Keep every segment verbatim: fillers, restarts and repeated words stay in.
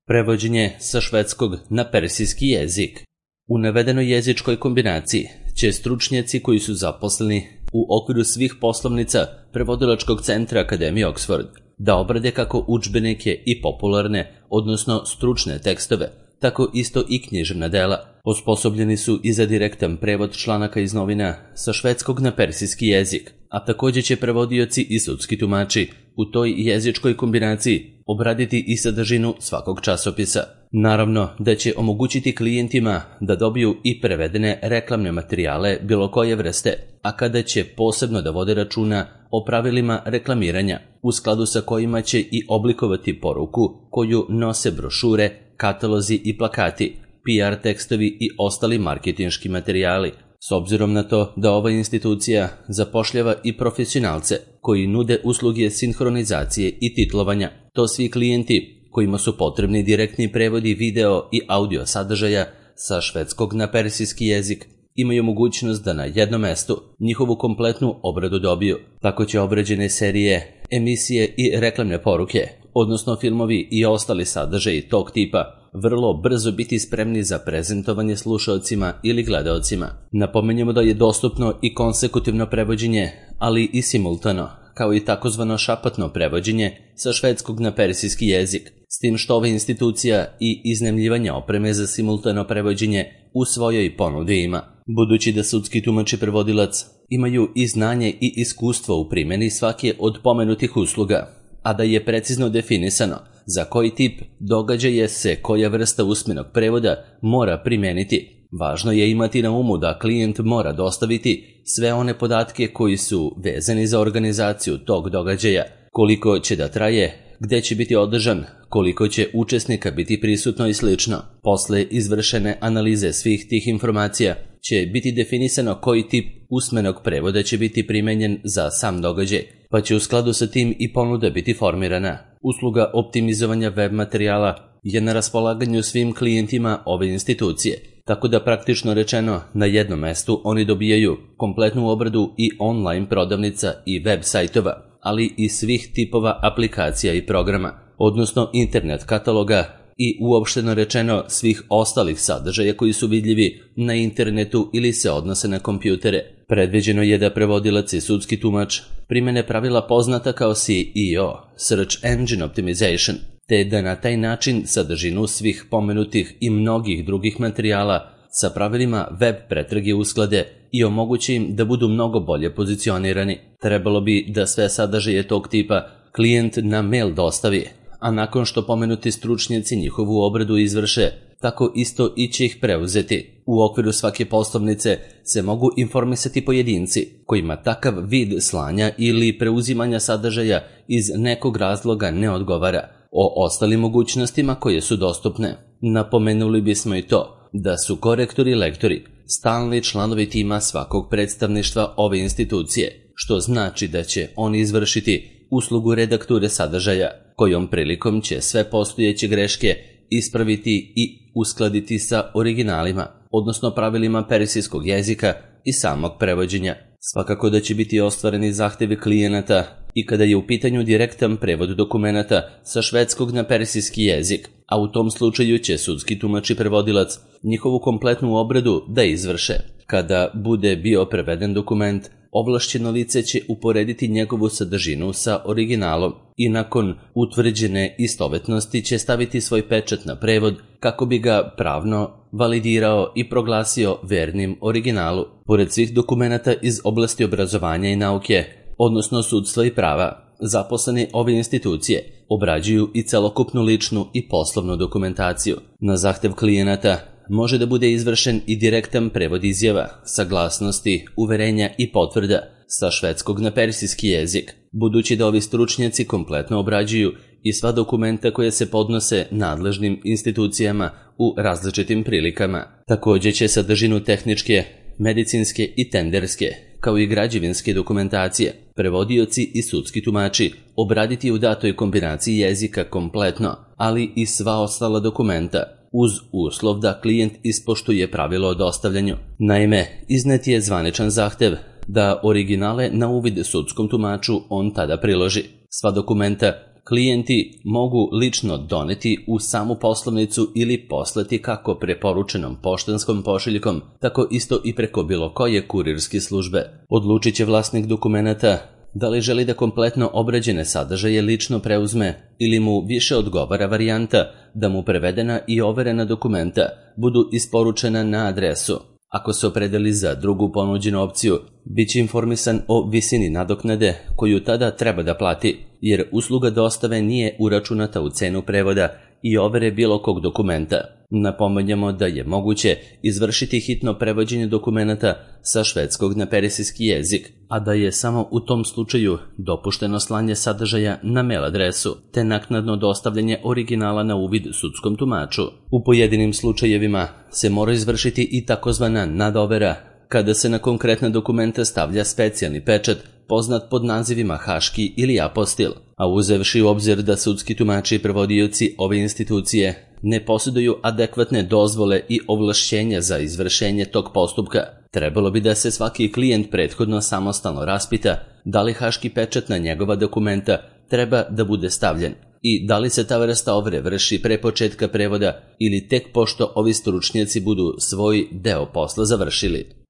Prevođenje sa švedskog na persijski jezik. U navedenoj jezičkoj kombinaciji će stručnjaci koji su zaposleni u okviru svih poslovnica Prevodilačkog centra Akademije Oxford da obrade kako udžbenike i popularne, odnosno stručne tekstove, tako isto i književna dela. Osposobljeni su i za direktan prevod članaka iz novina sa švedskog na persijski jezik, a također će prevodioci i sudski tumači u toj jezičkoj kombinaciji obraditi i sadržinu svakog časopisa. Naravno da će omogućiti klijentima da dobiju i prevedene reklamne materijale bilo koje vrste, a kada će posebno da vode računa o pravilima reklamiranja, u skladu sa kojima će i oblikovati poruku koju nose brošure, katalozi i plakati, P R tekstovi i ostali marketinški materijali. S obzirom na to da ova institucija zapošljava i profesionalce koji nude usluge sinhronizacije i titlovanja, to svi klijenti kojima su potrebni direktni prevodi video i audio sadržaja sa švedskog na persijski jezik imaju mogućnost da na jednom mestu njihovu kompletnu obradu dobiju. Tako će obrađene serije, emisije i reklamne poruke, odnosno filmovi i ostali sadržaji tog tipa, vrlo brzo biti spremni za prezentovanje slušaocima ili gledaocima. Napomenjamo da je dostupno i konsekutivno prevođenje, ali i simultano, kao i takozvano šapatno prevođenje sa švedskog na persijski jezik, s tim što ova institucija i iznajmljivanje opreme za simultano prevođenje u svojoj ponudi ima. Budući da sudski tumač i prevodilac imaju i znanje i iskustvo u primjeni svake od pomenutih usluga, a da je precizno definisano za koji tip događaja se koja vrsta usmenog prevoda mora primeniti, važno je imati na umu da klijent mora dostaviti sve one podatke koji su vezani za organizaciju tog događaja, koliko će da traje, gde će biti održan, koliko će učesnika biti prisutno i slično. Posle izvršene analize svih tih informacija će biti definisano koji tip usmenog prevoda će biti primenjen za sam događaj, pa će u skladu sa tim i ponuda biti formirana. Usluga optimizovanja web materijala je na raspolaganju svim klijentima ove institucije, tako da praktično rečeno na jednom mestu oni dobijaju kompletnu obradu i online prodavnica i web sajtova, ali i svih tipova aplikacija i programa, odnosno internet kataloga i uopšteno rečeno svih ostalih sadržaja koji su vidljivi na internetu ili se odnose na kompjutere. Predviđeno je da prevodilac i sudski tumač primene pravila poznata kao S E O, Search Engine Optimization, te da na taj način sadržinu svih pomenutih i mnogih drugih materijala sa pravilima web pretrage usklade i omogući im da budu mnogo bolje pozicionirani. Trebalo bi da sve sadržaje tog tipa klijent na mail dostavi, a nakon što pomenuti stručnjaci njihovu obradu izvrše, tako isto i će ih preuzeti. U okviru svake poslovnice se mogu informisati pojedinci kojima takav vid slanja ili preuzimanja sadržaja iz nekog razloga ne odgovara, o ostalim mogućnostima koje su dostupne. Napomenuli bismo i to da su korektori i lektori stalni članovi tima svakog predstavništva ove institucije, što znači da će oni izvršiti uslugu redakture sadržaja, kojom prilikom će sve postojeće greške ispraviti i uskladiti sa originalima, odnosno pravilima persijskog jezika i samog prevođenja. Svakako da će biti ostvareni zahtevi klijenata i kada je u pitanju direktan prevod dokumenata sa švedskog na persijski jezik, a u tom slučaju će sudski tumač i prevodilac njihovu kompletnu obradu da izvrše. Kada bude bio preveden dokument, ovlašćeno lice će uporediti njegovu sadržinu sa originalom i nakon utvrđene istovetnosti će staviti svoj pečat na prevod kako bi ga pravno validirao i proglasio vernim originalu. Pored svih dokumenata iz oblasti obrazovanja i nauke, odnosno sudstva i prava, zaposleni ove institucije obrađuju i celokupnu ličnu i poslovnu dokumentaciju. Na zahtev klijenata može da bude izvršen i direktan prevod izjava, saglasnosti, uverenja i potvrda sa švedskog na persijski jezik, budući da ovi stručnjaci kompletno obrađuju i sva dokumenta koje se podnose nadležnim institucijama u različitim prilikama. Također će sadržinu tehničke, medicinske i tenderske, kao i građevinske dokumentacije, prevodioci i sudski tumači obraditi u datoj kombinaciji jezika kompletno, ali i sva ostala dokumenta, uz uslov da klijent ispoštuje pravilo o dostavljanju. Naime, iznet je zvaničan zahtev da originale na uvid sudskom tumaču on tada priloži. Sva dokumenta klijenti mogu lično doneti u samu poslovnicu ili poslati kako preporučenom poštanskom pošiljkom, tako isto i preko bilo koje kurirske službe. Odlučit će vlasnik dokumenata da li želi da kompletno obrađene sadržaje lično preuzme ili mu više odgovara varijanta da mu prevedena i overena dokumenta budu isporučena na adresu. Ako se opredeli za drugu ponuđenu opciju, bit će informisan o visini nadoknade koju tada treba da plati, jer usluga dostave nije uračunata u cenu prevoda i overe bilo kog dokumenta. Napominjemo da je moguće izvršiti hitno prevođenje dokumenata sa švedskog na persijski jezik, a da je samo u tom slučaju dopušteno slanje sadržaja na mail adresu, te naknadno dostavljanje originala na uvid sudskom tumaču. U pojedinim slučajevima se mora izvršiti i takozvana nadovera, kada se na konkretna dokumenta stavlja specijalni pečat poznat pod nazivima haški ili apostil, a uzevši u obzir da sudski tumači i prevodioci ove institucije ne posjeduju adekvatne dozvole i ovlašćenja za izvršenje tog postupka, trebalo bi da se svaki klijent prethodno samostalno raspita da li haški pečat na njegova dokumenta treba da bude stavljen i da li se ta vrsta overe vrši pre početka prevoda ili tek pošto ovi stručnjaci budu svoj deo posla završili.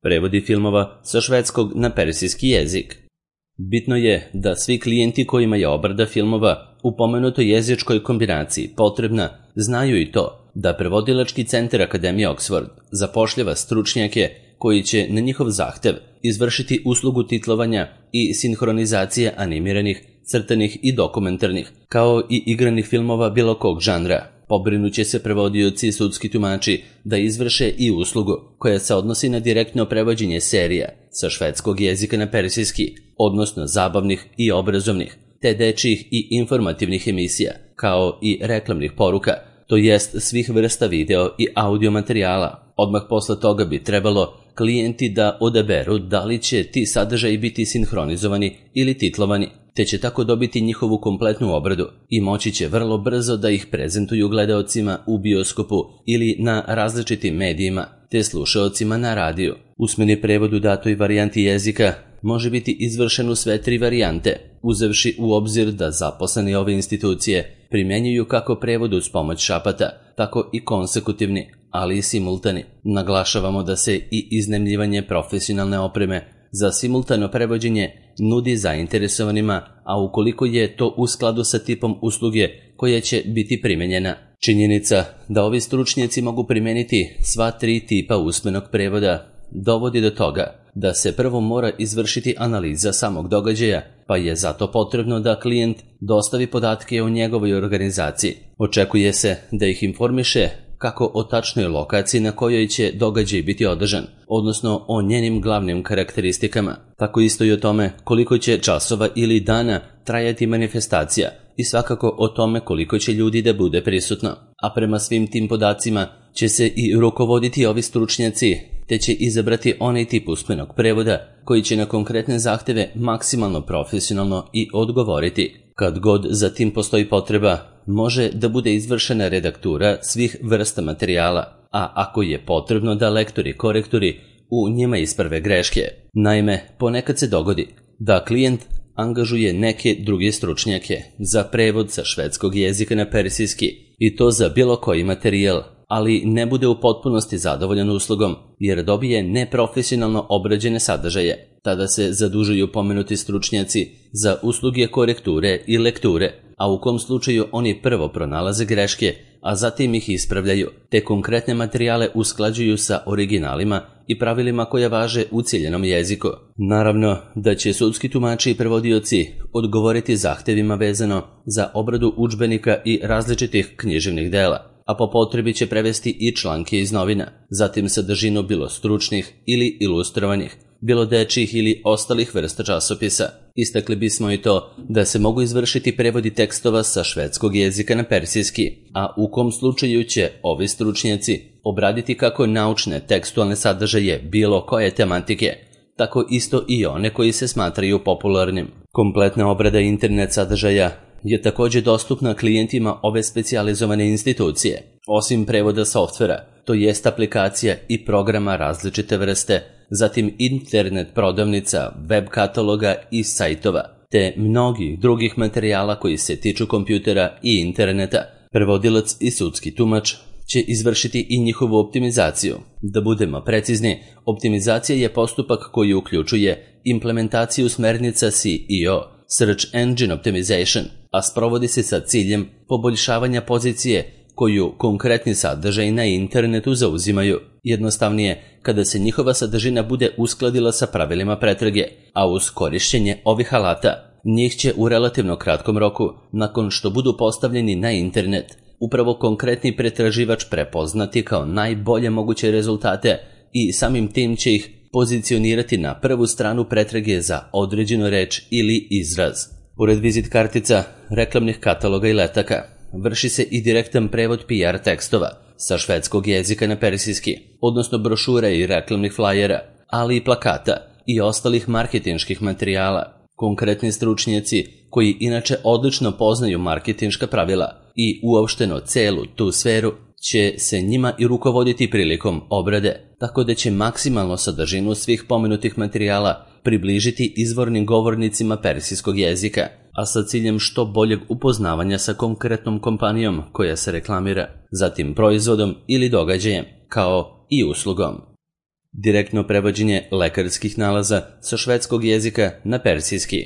Prevodi filmova sa švedskog na persijski jezik. Bitno je da svi klijenti kojima je obrada filmova u pomenutoj jezičkoj kombinaciji potrebna znaju i to da prevodilački centar Akademije Oxford zapošljava stručnjake koji će na njihov zahtev izvršiti uslugu titlovanja i sinhronizacije animiranih, crtanih i dokumentarnih, kao i igranih filmova bilo kog žanra. Pobrinuće se prevodioci i sudski tumači da izvrše i uslugu koja se odnosi na direktno prevođenje serija sa švedskog jezika na persijski, odnosno zabavnih i obrazovnih, te dečjih i informativnih emisija, kao i reklamnih poruka, to jest svih vrsta video i audio materijala. Odmah posle toga bi trebalo klijenti da odaberu da li će ti sadržaji biti sinhronizovani ili titlovani, te će tako dobiti njihovu kompletnu obradu i moći će vrlo brzo da ih prezentuju gledaocima u bioskopu ili na različitim medijima, te slušaocima na radiju. Usmeni prevod u datoj varijanti jezika može biti izvršen u sve tri varijante, uzevši u obzir da zaposleni ove institucije primjenjuju kako prevod uz pomoć šapata, tako i konsekutivni, ali i simultani. Naglašavamo da se i iznajmljivanje profesionalne opreme za simultano prevođenje nudi zainteresovanima, a ukoliko je to u skladu sa tipom usluge koja će biti primenjena. Činjenica da ovi stručnjaci mogu primeniti sva tri tipa usmenog prevoda dovodi do toga da se prvo mora izvršiti analiza samog događaja, pa je zato potrebno da klijent dostavi podatke o njegovoj organizaciji. Očekuje se da ih informiše kako o tačnoj lokaciji na kojoj će događaj biti održan, odnosno o njenim glavnim karakteristikama, tako isto i o tome koliko će časova ili dana trajati manifestacija i svakako o tome koliko će ljudi da bude prisutno. A prema svim tim podacima će se i rukovoditi ovi stručnjaci, te će izabrati onaj tip usmenog prevoda koji će na konkretne zahteve maksimalno profesionalno i odgovoriti. Kad god za tim postoji potreba, može da bude izvršena redaktura svih vrsta materijala, a ako je potrebno da lektori i korektori u njima isprave greške. Naime, ponekad se dogodi da klijent angažuje neke druge stručnjake za prevod sa švedskog jezika na persijski i to za bilo koji materijal, ali ne bude u potpunosti zadovoljan uslugom jer dobije neprofesionalno obrađene sadržaje. Tada se zadužuju pomenuti stručnjaci za usluge korekture i lekture, a u kom slučaju oni prvo pronalaze greške, a zatim ih ispravljaju, te konkretne materijale usklađuju sa originalima i pravilima koja važe u ciljenom jeziku. Naravno da će sudski tumači i prevodioci odgovoriti zahtevima vezano za obradu udžbenika i različitih književnih dela, a po potrebi će prevesti i članke iz novina, zatim sadržinu bilo stručnih ili ilustrovanih, bilo dečjih ili ostalih vrsta časopisa. Istakli bismo i to da se mogu izvršiti prevodi tekstova sa švedskog jezika na persijski, a u kom slučaju će ovi stručnjaci obraditi kako naučne tekstualne sadržaje bilo koje tematike, tako isto i one koji se smatraju popularnim. Kompletna obrada internet sadržaja je također dostupna klijentima ove specijalizovane institucije. Osim prevoda softvera, to jest aplikacija i programa različite vrste, zatim internet prodavnica, web kataloga i sajtova, te mnogih drugih materijala koji se tiču kompjutera i interneta. Prevodilac i sudski tumač će izvršiti i njihovu optimizaciju. Da budemo precizni, optimizacija je postupak koji uključuje implementaciju smernica S E O, Search Engine Optimization, a sprovodi se sa ciljem poboljšavanja pozicije koju konkretni sadržaj na internetu zauzimaju. Jednostavnije, kada se njihova sadržina bude uskladila sa pravilima pretrage, a uz korišćenje ovih alata, njih će u relativno kratkom roku, nakon što budu postavljeni na internet, upravo konkretni pretraživač prepoznati kao najbolje moguće rezultate i samim tim će ih pozicionirati na prvu stranu pretrage za određenu reč ili izraz. Pored vizit kartica, reklamnih kataloga i letaka, vrši se i direktan prevod P R tekstova sa švedskog jezika na persijski, odnosno brošura i reklamnih flajera, ali i plakata i ostalih marketinških materijala. Konkretni stručnjaci koji inače odlično poznaju marketinška pravila i uopšteno celu tu sferu će se njima i rukovoditi prilikom obrade, tako da će maksimalno sadržinu svih pomenutih materijala približiti izvornim govornicima persijskog jezika, a sa ciljem što boljeg upoznavanja sa konkretnom kompanijom koja se reklamira, zatim proizvodom ili događajem, kao i uslugom. Direktno prevođenje lekarskih nalaza sa švedskog jezika na persijski.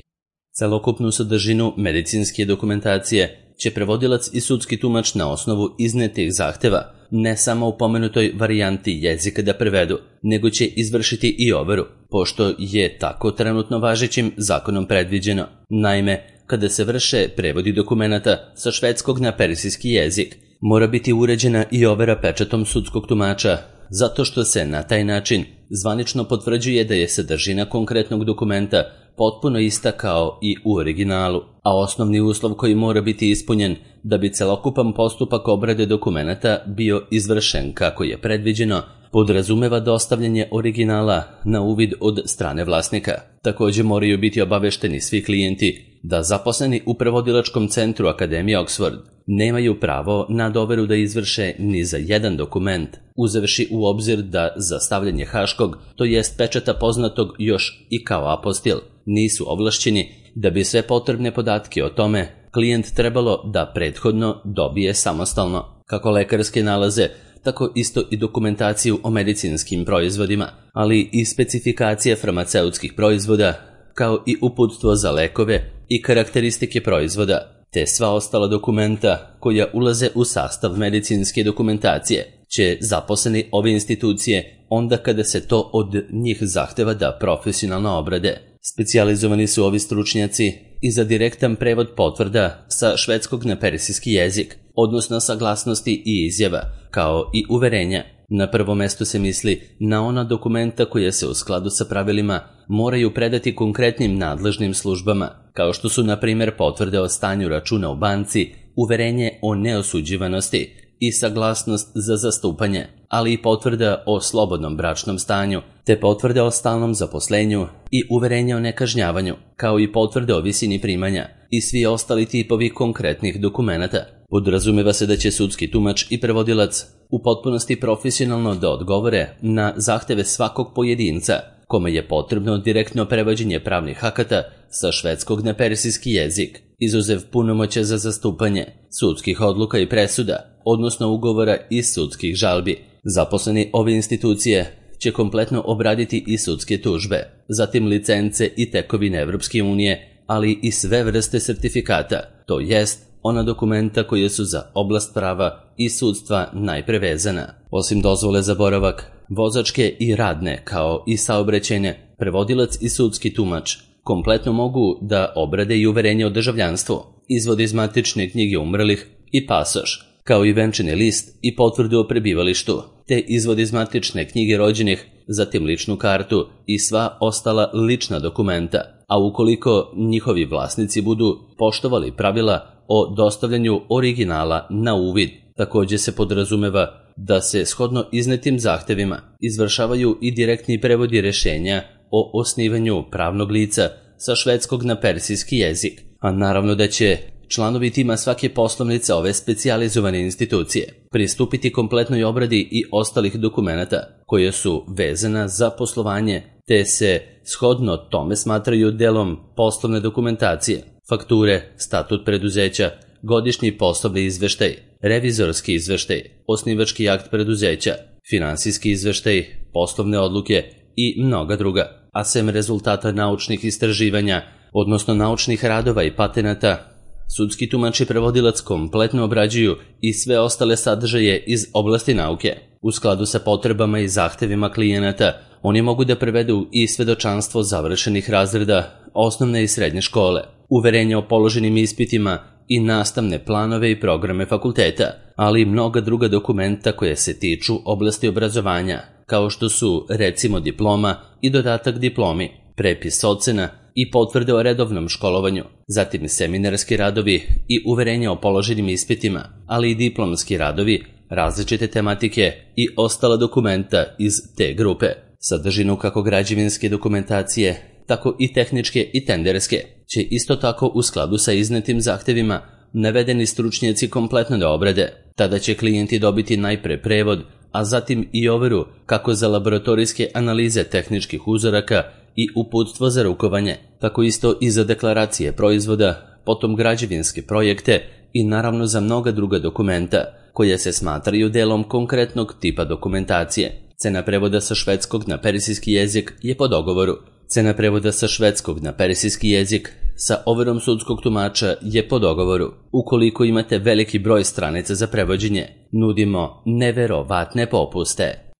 Celokupnu sadržinu medicinske dokumentacije će prevodilac i sudski tumač na osnovu iznetih zahteva ne samo u pomenutoj varijanti jezika da prevedu, nego će izvršiti i overu, pošto je tako trenutno važećim zakonom predviđeno. Naime, kada se vrše prevodi dokumenata sa švedskog na persijski jezik, mora biti uređena i overa pečatom sudskog tumača, zato što se na taj način zvanično potvrđuje da je sadržina konkretnog dokumenta potpuno ista kao i u originalu, a osnovni uslov koji mora biti ispunjen da bi celokupan postupak obrade dokumenata bio izvršen kako je predviđeno, podrazumeva dostavljanje originala na uvid od strane vlasnika. Također moraju biti obavešteni svi klijenti da zaposleni u prevodilačkom centru Akademije Oxford nemaju pravo na doveru da izvrše ni za jedan dokument, uzevši u obzir da za stavljanje haškog, to jest pečata poznatog još i kao apostil, nisu ovlašćeni, da bi sve potrebne podatke o tome klijent trebalo da prethodno dobije samostalno, kako lekarske nalaze, tako isto i dokumentaciju o medicinskim proizvodima, ali i specifikacije farmaceutskih proizvoda, kao i uputstvo za lekove i karakteristike proizvoda, te sva ostala dokumenta koja ulaze u sastav medicinske dokumentacije, će zaposleni ove institucije onda kada se to od njih zahteva da profesionalno obrade. Specijalizovani su ovi stručnjaci i za direktan prevod potvrda sa švedskog na persijski jezik, odnosno saglasnosti i izjava, kao i uverenja. Na prvo mesto se misli na ona dokumenta koja se u skladu sa pravilima moraju predati konkretnim nadležnim službama, kao što su na primjer potvrde o stanju računa u banci, uverenje o neosuđivanosti i saglasnost za zastupanje, ali i potvrda o slobodnom bračnom stanju, te potvrde o stalnom zaposlenju i uverenje o nekažnjavanju, kao i potvrde o visini primanja i svi ostali tipovi konkretnih dokumenata. Podrazumeva se da će sudski tumač i prevodilac u potpunosti profesionalno da odgovore na zahteve svakog pojedinca kome je potrebno direktno prevođenje pravnih akata sa švedskog na persijski jezik, izuzev punomoćja za zastupanje, sudskih odluka i presuda, odnosno ugovora i sudskih žalbi. Zaposleni ove institucije će kompletno obraditi i sudske tužbe, zatim licence i tekovine Evropske unije, ali i sve vrste sertifikata, to jest ona dokumenta koje su za oblast prava i sudstva najprevezana. Osim dozvole za boravak, vozačke i radne, kao i saobraćajne, prevodilac i sudski tumač kompletno mogu da obrade i uverenje o državljanstvu, izvod iz matične knjige umrlih i pasoš, kao i venčani list i potvrdu o prebivalištu, te izvod iz matične knjige rođenih, zatim ličnu kartu i sva ostala lična dokumenta, a ukoliko njihovi vlasnici budu poštovali pravila o dostavljanju originala na uvid. Također se podrazumeva da se shodno iznetim zahtevima izvršavaju i direktni prevodi rješenja o osnivanju pravnog lica sa švedskog na persijski jezik, a naravno da će članovi tima svake poslovnice ove specijalizovane institucije pristupiti kompletnoj obradi i ostalih dokumenata koje su vezana za poslovanje, te se shodno tome smatraju delom poslovne dokumentacije, fakture, statut preduzeća, godišnji poslovni izveštaj, revizorski izveštaj, osnivački akt preduzeća, finansijski izveštaj, poslovne odluke i mnoga druga, a sem rezultata naučnih istraživanja, odnosno naučnih radova i patenata, sudski tumač i prevodilac kompletno obrađuju i sve ostale sadržaje iz oblasti nauke. U skladu sa potrebama i zahtevima klijenata, oni mogu da prevedu i svedočanstvo završenih razreda osnovne i srednje škole, uverenja o položenim ispitima i nastavne planove i programe fakulteta, ali i mnoga druga dokumenta koje se tiču oblasti obrazovanja, kao što su recimo diploma i dodatak diplomi, prepis ocena i potvrde o redovnom školovanju, zatim seminarski radovi i uverenja o položenim ispitima, ali i diplomski radovi, različite tematike i ostala dokumenta iz te grupe. Sadržinu kako građevinske dokumentacije, tako i tehničke i tenderske će isto tako u skladu sa iznetim zahtevima navedeni stručnjaci kompletno da obrade. Tada će klijenti dobiti najpre prevod, a zatim i overu kako za laboratorijske analize tehničkih uzoraka i uputstvo za rukovanje, tako isto i za deklaracije proizvoda, potom građevinske projekte i naravno za mnoga druga dokumenta koja se smatraju delom konkretnog tipa dokumentacije. Cena prevoda sa švedskog na persijski jezik je po dogovoru. Cena prevoda sa švedskog na persijski jezik sa overom sudskog tumača je po dogovoru. Ukoliko imate veliki broj stranica za prevođenje, nudimo neverovatne popuste.